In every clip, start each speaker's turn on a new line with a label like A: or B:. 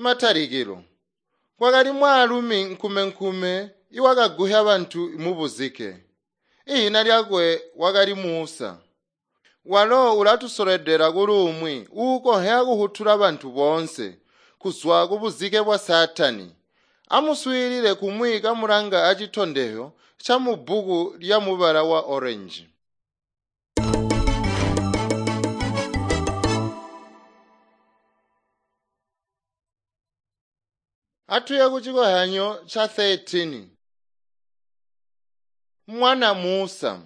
A: Matalikilo. Kwakali mwaalumi nkumenkume iwakaguhya bantu mubuzike. Ihina lyakwe wakali Musa. Walo ulatusoledela kuli umwi uukonhya kuhutula bantu boonse kuzwa kubuzike bwa Saatani. Amuswiilile kumwi kamulanga acitondezyo ca mubbuku lya mubala wa orange. Atuye ku chikohanyo cha 13. Mwana Musa.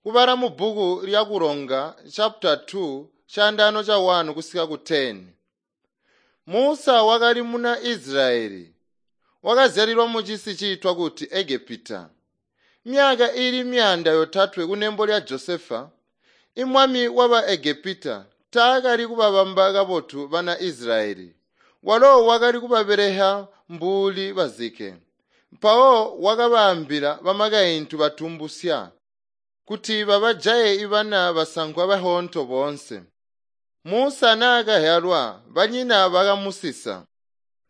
A: Kubala mu bbuku lya Kulonga chapter 2 chandano cha 1 kusika ku 10. Musa wakali muna Israeli. Wakazyalilwa mu cisi ciitwa kuti Egepita. Myaka ili 300 kunembo lya Josefa, imwami waba Egepita taakali kubabamba kabotu bana Israeli. Walo wakali kubabeleha mbuli bazike. Mpawo wakabaambila bamakaintu batumbusya kuti babajaye ibana basankwa bahonto boonse. Musa naakahyalwa banyina bakamusisa.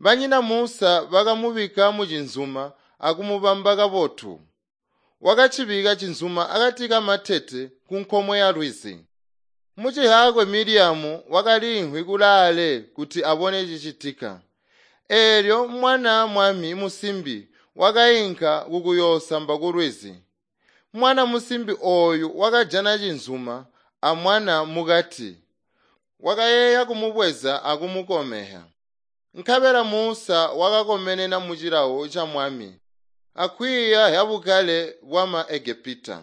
A: Banyina Musa bakamubika mu cinzuma akumubamba kabotu. Wakacibika cinzuma akati kamatete ku nkomwe ya lwizi. Mucihakwe Miriamu wakaliimvwi kulaale kuti abone cicitika. Eelyo mwana mwami musimbi wakainka kukuyoosamba ku lwizi. Mwana musimbi ooyu wakajana cinzuma amwana mukati. Wakayeeya kumubweza akumukomeha. Nkabela Musa wakakomenena mu cilawo ca mwami, akwiiya zyabukale bwama Egepita.